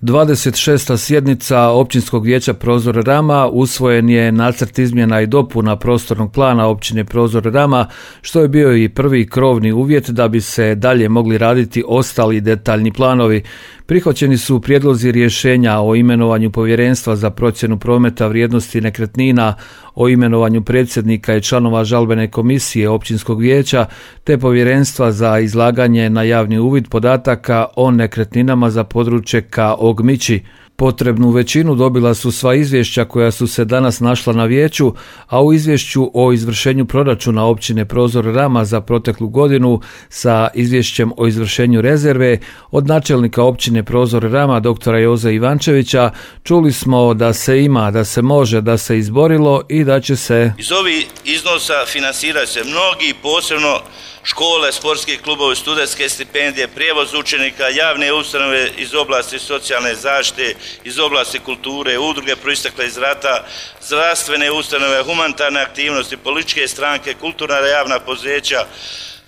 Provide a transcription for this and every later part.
26. sjednica Općinskog vijeća Prozor Rama usvojen je nacrt izmjena i dopuna prostornog plana općine Prozor Rama, što je bio i prvi krovni uvjet da bi se dalje mogli raditi ostali detaljni planovi. Prihvaćeni su prijedlozi rješenja o imenovanju povjerenstva za procjenu prometa vrijednosti nekretnina, o imenovanju predsjednika i članova žalbene komisije općinskog vijeća, te povjerenstva za izlaganje na javni uvid podataka o nekretninama za područje K. Ogmići. Potrebnu većinu dobila su sva izvješća koja su se danas našla na vijeću, a u izvješću o izvršenju proračuna općine Prozor Rama za proteklu godinu sa izvješćem o izvršenju rezerve od načelnika općine Prozor Rama dr. Joze Ivančevića čuli smo da se ima, da se može, da se izborilo i da će se iz ovih iznosa financirati se mnogi, posebno škole, sportski klubovi, studentske stipendije, prijevoz učenika, javne ustanove iz oblasti socijalne zaštite, iz oblasti kulture, udruge proistekle iz rata, zdravstvene ustanove, humanitarne aktivnosti, političke stranke, kulturna javna poduzeća,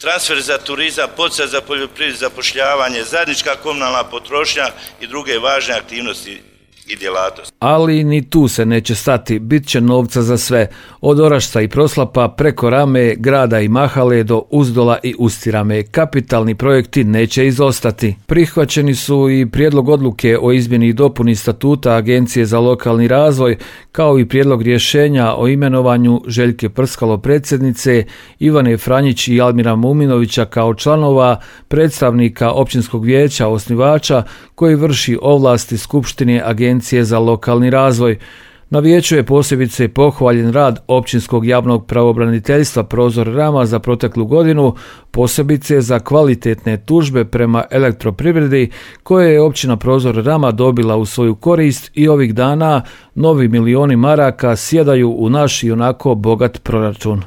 transfer za turizam, poticaj za poljoprivredu, zapošljavanje, zajednička komunalna potrošnja i druge važne aktivnosti i djelatnosti. Ali ni tu se neće stati, bit će novca za sve, od Orašca i Proslapa preko Rame, Grada i Mahale do Uzdola i Ustirame. Kapitalni projekti neće izostati. Prihvaćeni su i prijedlog odluke o izmjeni i dopuni statuta Agencije za lokalni razvoj, kao i prijedlog rješenja o imenovanju Željke Prskalo predsjednice, Ivane Franjić i Almira Muminovića kao članova, predstavnika općinskog vijeća osnivača koji vrši ovlasti Skupštine Agencije za lokalni razvoj. Na vijeću je posebice pohvaljen rad Općinskog javnog pravobraniteljstva Prozor Rama za proteklu godinu, posebice za kvalitetne tužbe prema elektroprivredi koje je općina Prozor Rama dobila u svoju korist i ovih dana novi milioni maraka sjedaju u naš i onako bogat proračun.